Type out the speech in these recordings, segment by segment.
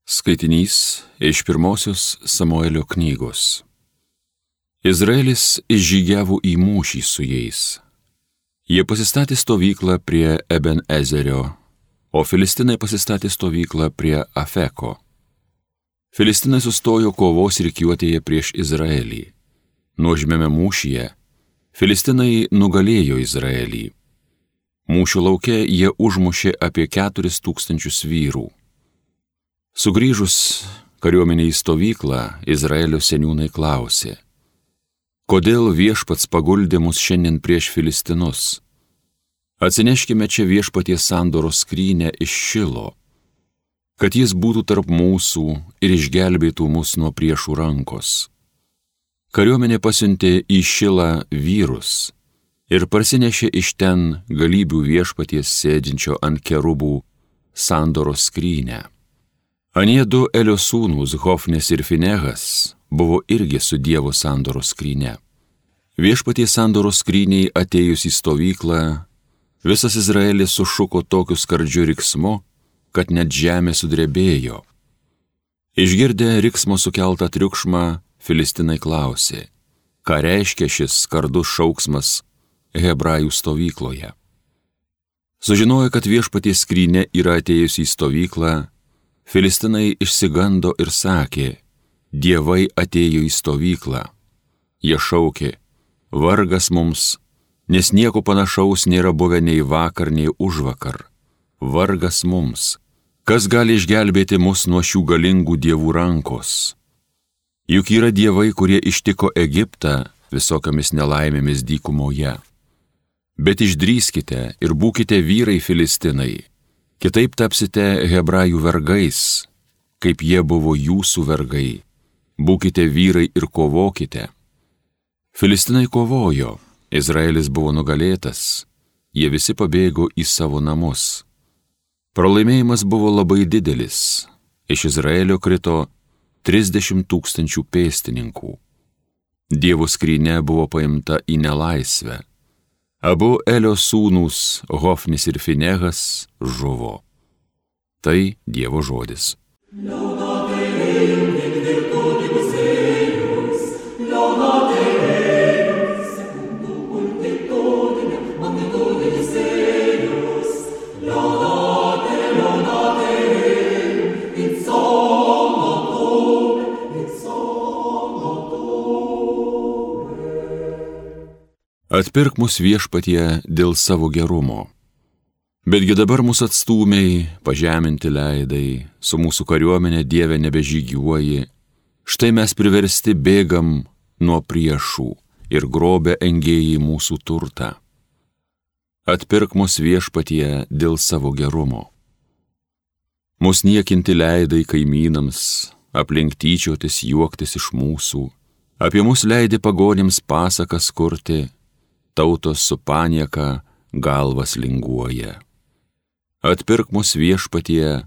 Skaitinys iš pirmosios Samuelio knygos. Izraelis išžygiavo į mūšį su jais. Jie pasistatė stovyklą prie Eben Ezerio, o filistinai pasistatė stovyklą prie Afeko. Filistinai sustojo kovos rikiuotėje prieš Izraelį. Nuožmiame mūšyje filistinai nugalėjo Izraelį. Mūšio lauke jie užmušė apie 4000 vyrų. Sugrįžus kariuomenei į stovyklą, Izraelio seniūnai klausė: kodėl viešpats paguldė mus šiandien prieš filistinus? Atsineškime čia viešpaties sandoros skrynę iš Šilo, kad jis būtų tarp mūsų ir išgelbėtų mus nuo priešų rankos. Kariuomenė pasiuntė į Šilą vyrus ir parsinešė iš ten galybių viešpaties sėdinčio ant kerubų sandoros skrynę. Anie du Elio sūnūs Hofnis ir Finehas buvo irgi su Dievo sandoros skryne. Viešpaties sandoros skryniai atėjus į stovyklą, visas Izraelis sušuko tokiu skardžiu riksmu, kad net žemė sudrebėjo. Išgirdę riksmo sukeltą triukšmą, filistinai klausė: ką reiškia šis skardus šauksmas hebrajų stovykloje? Sužinojo, kad viešpaties skrynia yra atėjusi į stovyklą, filistinai išsigando ir sakė: dievai atėjo į stovyklą. Jie šaukė: vargas mums, nes nieko panašaus nėra buvę nei vakar, nei užvakar. Vargas mums, kas gali išgelbėti mus nuo šių galingų dievų rankos? Juk yra dievai, kurie ištiko Egiptą visokiamis nelaimėmis dykumoje. Bet išdrįskite ir būkite vyrai filistinai, kitaip tapsite hebrajų vergais, kaip jie buvo jūsų vergai. Būkite vyrai ir kovokite. Filistinai kovojo, Izraelis buvo nugalėtas, jie visi pabėgo į savo namus. Pralaimėjimas buvo labai didelis, iš Izraelio krito 30 000 pėstininkų. Dievo skrynia buvo paimta į nelaisvę. Abu Elio sūnūs Hofnis ir Finehas žuvo. Tai Dievo žodis. Atpirk mus viešpatie dėl savo gerumo. Betgi dabar mus atstūmiai, pažeminti leidai, su mūsų kariuomenė Dieve nebežygiuoji. Štai mes priversti bėgam nuo priešų ir grobia engėjai mūsų turtą. Atpirk mus viešpatie dėl savo gerumo. Mus niekinti leidai kaimynams, aplink tyčiotis juoktis iš mūsų, apie mus leidi pagonims pasakas kurti, tautos su panieka galvas linguoja. Atpirk mus viešpatie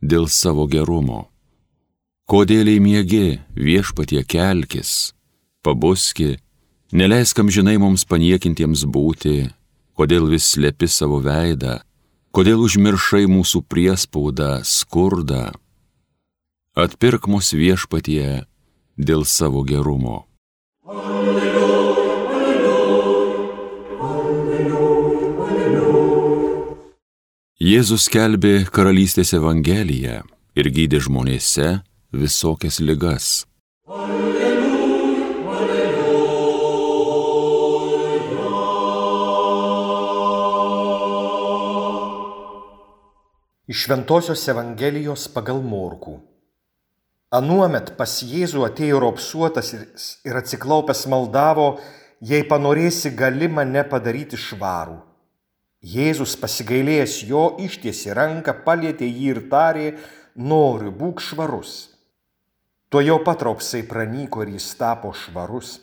dėl savo gerumo. Kodėliai miegi, viešpatie kelkis, pabuski, neleisk amžinai mums paniekintiems būti, kodėl vis slepi savo veidą, kodėl užmiršai mūsų priespaudą, skurdą. Atpirk mus viešpatie dėl savo gerumo. Jėzus skelbė karalystės evangeliją ir gydė žmonėse visokias ligas. Iš Šventosios Evangelijos pagal Morkų. Anuomet pas Jėzų atėjo raupsuotas ir atsiklaupęs maldavo: jei panorėsi, gali mane padaryti švarų. Jėzus pasigailėjęs jo ištiesė ranką, palietė jį ir tarė: noriu, būk švarus. Tuojau pat raupsai pranyko ir jis tapo švarus.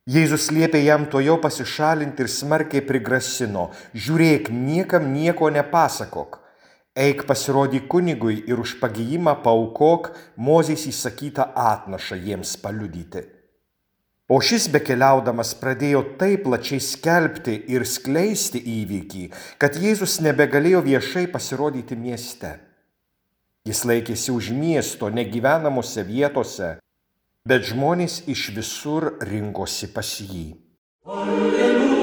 Jėzus liepė jam tuojau pasišalinti ir smarkiai prigrasino: žiūrėk, niekam nieko nepasakok. Eik pasirodyk kunigui ir už pagijimą paaukok Mozės įsakytą atnašą jiems paliudyti. O šis bekeliaudamas pradėjo taip plačiai skelbti ir skleisti įvykį, kad Jėzus nebegalėjo viešai pasirodyti mieste. Jis laikėsi už miesto negyvenamose vietose, bet žmonės iš visur rinkosi pas jį. Alleluja, alleluja.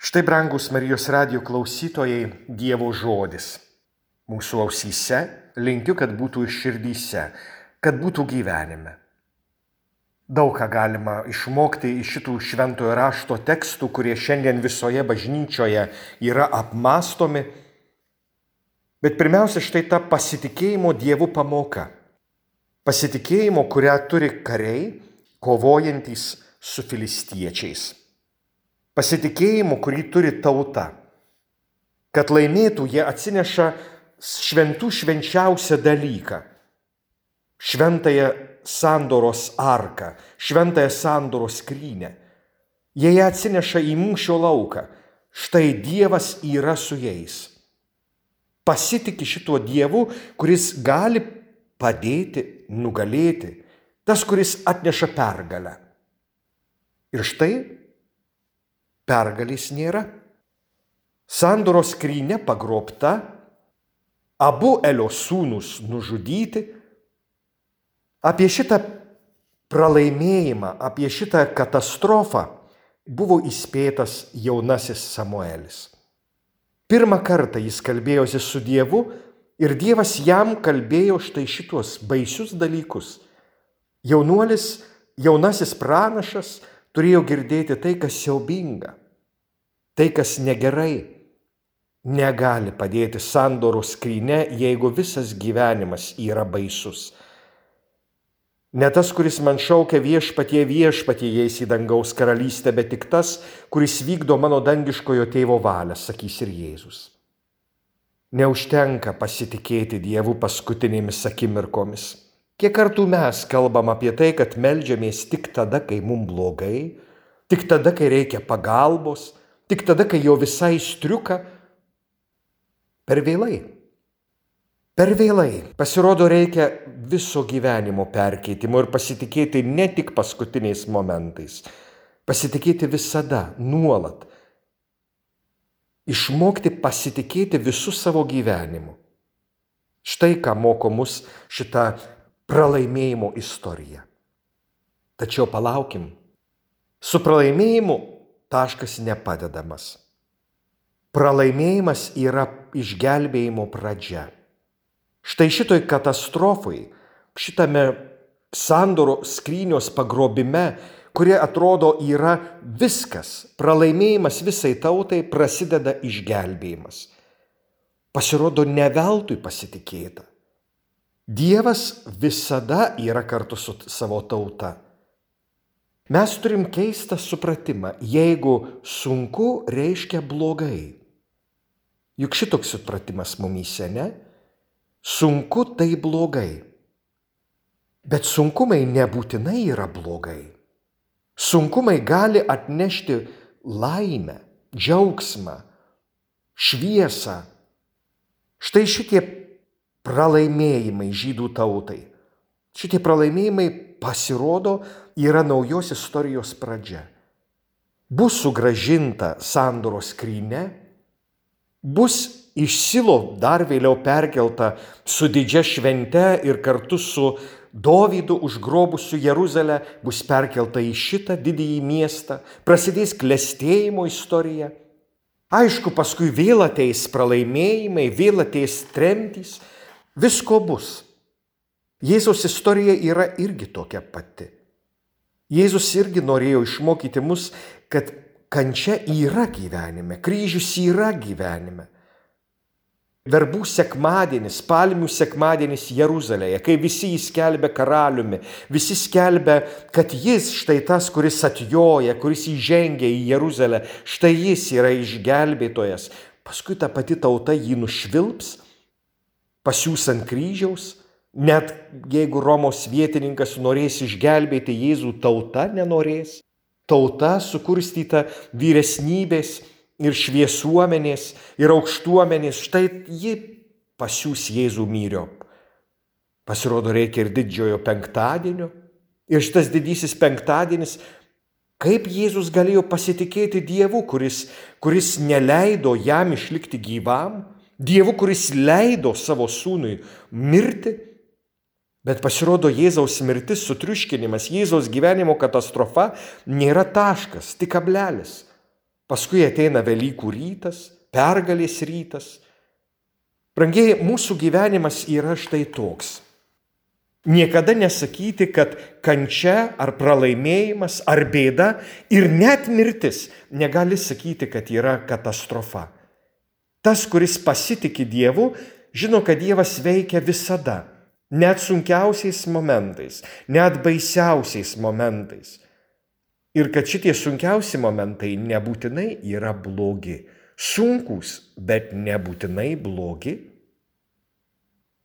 Štai, brangus Marijos radijo klausytojai, Dievo žodis. Mūsų ausyse, linkiu, kad būtų ir širdyse, kad būtų gyvenime. Daug ką galima išmokti iš šitų šventojo rašto tekstų, kurie šiandien visoje bažnyčioje yra apmąstomi. Bet pirmiausia, štai ta pasitikėjimo Dievu pamoka. Pasitikėjimo, kurią turi kariai, kovojantys su filistiečiais. Pasitikėjimo, kurį turi tauta. Kad laimėtų, jie atsineša šventų švenčiausią dalyką. Šventąją sandoros arką, šventąją sandoros skrynę. Jie ją atsineša į mūšio lauką. Štai Dievas yra su jais. Pasitiki šituo Dievu, kuris gali padėti, nugalėti. Tas, kuris atneša pergalę. Ir štai pergalės nėra. Sandoros skrynia pagrobta, abu Elio sūnūs nužudyti. Apie šitą pralaimėjimą, apie šitą katastrofą buvo įspėtas jaunasis Samuelis. Pirmą kartą jis kalbėjosi su Dievu ir Dievas jam kalbėjo štai šitos baisius dalykus. Jaunasis pranašas turėjo girdėti tai, kas siaubinga, tai, kas negerai. Negali padėti sandoros skrynia, jeigu visas gyvenimas yra baisus. Ne tas, kuris man šaukia viešpatie, viešpatie eis į dangaus karalystę, bet tik tas, kuris vykdo mano dangiškojo tėvo valią, sakys ir Jėzus. Neužtenka pasitikėti Dievu paskutinėmis akimirkomis. Kiek kartų mes kalbam apie tai, kad meldžiamės tik tada, kai mums blogai, tik tada, kai reikia pagalbos, tik tada, kai jau visai striuka. Per vėlai. Per vėlai. Pasirodo, reikia viso gyvenimo perkeitimo ir pasitikėti ne tik paskutiniais momentais. Pasitikėti visada, nuolat. Išmokti pasitikėti visų savo gyvenimu. Štai ką moko mus šitą pralaimėjimo istoriją. Tačiau palaukim. Su pralaimėjimu taškas nepadedamas. Pralaimėjimas yra išgelbėjimo pradžia. Štai šitoj katastrofai, šitame sandoro skrynios pagrobime, kurie atrodo yra viskas, pralaimėjimas visai tautai, prasideda išgelbėjimas. Pasirodo, ne veltui pasitikėta. Dievas visada yra kartu su savo tauta. Mes turim keistą supratimą, jeigu sunku reiškia blogai. Juk šitoks supratimas mumyse, ne? Sunku tai blogai. Bet sunkumai nebūtinai yra blogai. Sunkumai gali atnešti laimę, džiaugsmą, šviesą. Štai šitie pralaimėjimai žydų tautai. Šitie pralaimėjimai pasirodo yra naujos istorijos pradžia. Bus sugrąžinta sandoros skrynia, bus iš Silo dar vėliau perkelta su didžia švente ir kartu su Dovydu užgrobusiu Jeruzalę, bus perkelta į šitą didįjį miestą, prasidės klestėjimo istorija. Aišku, paskui vėl ateis pralaimėjimai, vėl ateis tremtys, visko bus. Jėzaus istorija yra irgi tokia pati. Jėzus irgi norėjo išmokyti mus, kad kančia yra gyvenime, kryžius yra gyvenime. Verbų sekmadienis, palmių sekmadienis Jeruzalėje, kai visi jį skelbia karaliumi, visi skelbia, kad jis štai tas, kuris atjoja, kuris įžengia į Jeruzalę, štai jis yra išgelbėtojas. Paskui ta pati tauta jį nušvilps, pasiūs ant kryžiaus, net jeigu Romos vietininkas norės išgelbėti Jėzų, tauta nenorės. Tauta sukurstyta vyresnybės ir šviesuomenės, ir aukštuomenės, štai ji pasiūs Jėzų myriop. Pasirodo, reikia ir didžiojo penktadienio. Ir šitas didysis penktadienis Kaip Jėzus galėjo pasitikėti Dievu, kuris neleido jam išlikti gyvam, Dievu, kuris leido savo sūnui mirti, bet pasirodo Jėzaus mirtis, sutriuškinimas, Jėzaus gyvenimo katastrofa nėra taškas, tik kablelis. Paskui ateina Velykų rytas, pergalės rytas. Brangieji, mūsų gyvenimas yra štai toks. Niekada nesakyti, kad kančia ar pralaimėjimas ar bėda ir net mirtis negali sakyti, kad yra katastrofa. Tas, kuris pasitiki Dievu, žino, kad Dievas veikia visada, net sunkiausiais momentais, net baisiausiais momentais. Ir kad šitie sunkiausi momentai nebūtinai yra blogi. Sunkūs, bet nebūtinai blogi.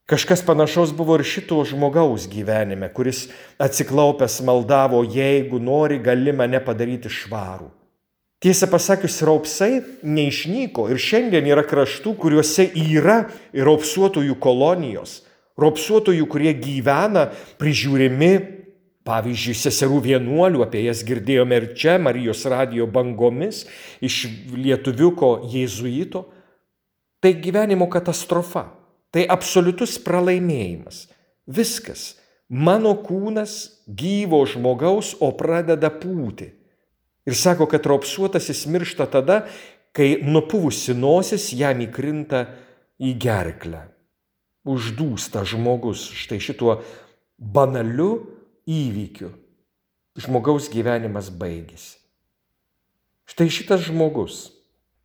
Kažkas panašaus buvo ir šito žmogaus gyvenime, kuris atsiklaupęs maldavo, jeigu nori, gali mane padaryti švarų. Tiesą pasakius, raupsai neišnyko ir šiandien yra kraštų, kuriuose yra raupsuotojų kolonijos, raupsuotojų, kurie gyvena prižiūrimi, pavyzdžiui, seserų vienuolių, apie jas girdėjome ir čia, Marijos radijo bangomis, iš lietuviuko jėzuito. Tai gyvenimo katastrofa. Tai absoliutus pralaimėjimas. Viskas. Mano kūnas gyvo žmogaus, o pradeda pūti. Ir sako, kad raupsuotasis miršta tada, kai nupuvusi nosis jam įkrinta į gerklę. Uždūsta žmogus štai šituo banaliu įvykiu. Žmogaus gyvenimas baigėsi. Štai šitas žmogus,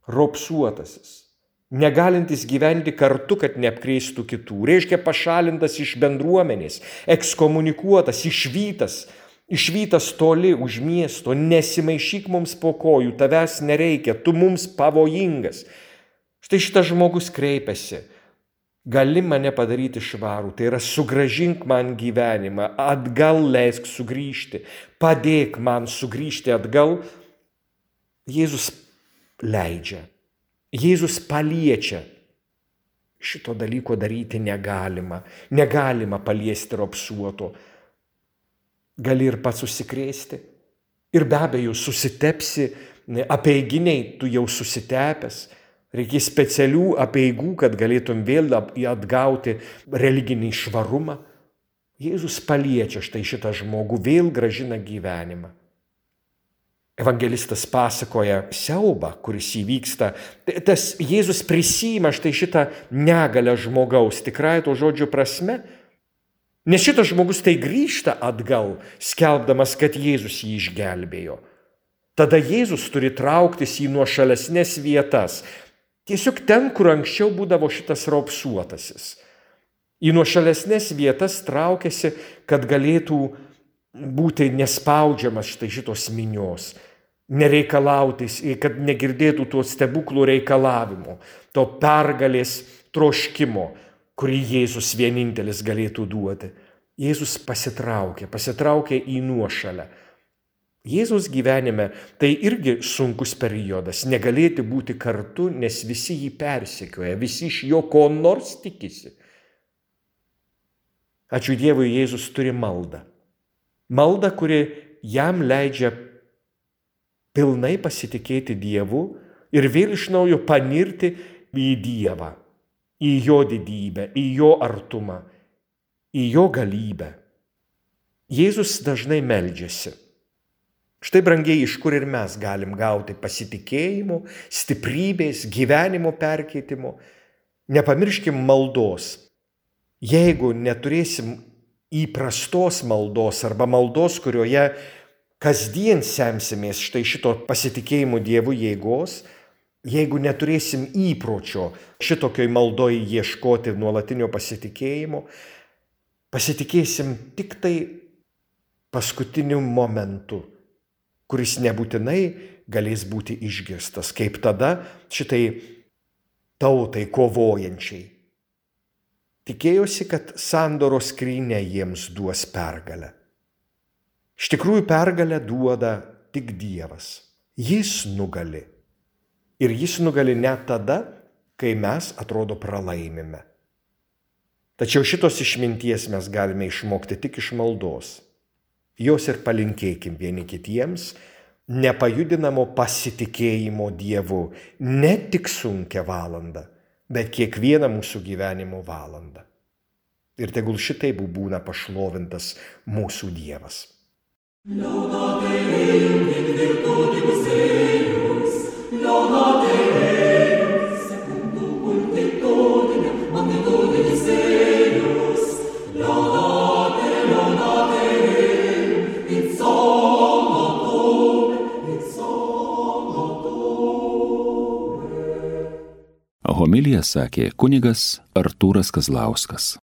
raupsuotasis, negalintis gyventi kartu, kad neapkrėstų kitų, reiškia pašalintas iš bendruomenės, ekskomunikuotas, išvytas toli už miesto, nesimaišyk mums po kojų, tavęs nereikia, tu mums pavojingas. Štai šitas žmogus kreipiasi, gali mane padaryti švarų, tai yra sugrąžink man gyvenimą, atgal leisk sugrįžti, padėk man sugrįžti atgal. Jėzus leidžia. Jėzus paliečia. Šito dalyko daryti negalima. Negalima paliesti raupsuoto. Gali ir pats susikrėsti. Ir be abejo susitepsi, apeiginiai tu jau susitepęs. Reikės specialių apeigų, kad galėtum vėl atgauti religinį švarumą. Jėzus paliečia štai šitą žmogų, vėl grąžina gyvenimą. Evangelistas pasakoja siaubą, kuris įvyksta. Tas Jėzus prisiima štai šitą negalę žmogaus, tikrąja to žodžio prasme. Nes šitas žmogus tai grįžta atgal, skelbdamas, kad Jėzus jį išgelbėjo. Tada Jėzus turi trauktis į nuošalesnes vietas. Tiesiog ten, kur anksčiau būdavo šitas raupsuotasis. Į nuošalesnes vietas traukiasi, kad galėtų būti nespaudžiamas štai šitos minios. Nereikalautis, kad negirdėtų to stebuklų reikalavimo, to pergalės troškimo, kurį Jėzus vienintelis galėtų duoti. Jėzus pasitraukė į nuošalę. Jėzus gyvenime tai irgi sunkus periodas, negalėti būti kartu, nes visi jį persekioja, visi iš jo ko nors tikisi. Ačiū Dievui, Jėzus turi maldą. Maldą, kuri jam leidžia pilnai pasitikėti Dievu ir vėl iš naujo panirti į Dievą, į jo didybę, į jo artumą, į jo galybę. Jėzus dažnai meldžiasi. Štai, brangiai, iš kur ir mes galim gauti pasitikėjimo, stiprybės, gyvenimo perkeitimo. Nepamirškim maldos. Jeigu neturėsim įprastos maldos arba maldos, kurioje kasdien semsimės štai šito pasitikėjimo Dievu jėgos, jeigu neturėsim įpročio šitokioj maldoje ieškoti nuolatinio pasitikėjimo, pasitikėsim tik tai paskutiniu momentu, kuris nebūtinai galės būti išgirstas, kaip tada šitai tautai kovojančiai. Tikėjosi, kad sandoros skrynia jiems duos pergalę. Iš tikrųjų, pergalę duoda tik Dievas. Jis nugali. Ir jis nugali net tada, kai mes, atrodo, pralaimime. Tačiau šitos išminties mes galime išmokti tik iš maldos. Jos ir palinkėkim vieni kitiems, nepajudinamo pasitikėjimo Dievu ne tik sunkią valandą, bet kiekvieną mūsų gyvenimo valandą. Ir tegul šitaip būna pašlovintas mūsų Dievas. Laudate Deum in virtutibus eius, laudate Deum secundum multitudinem magnitudinis eius, laudate Deum in somno tuum. Homiliją sakė kunigas Artūras Kazlauskas.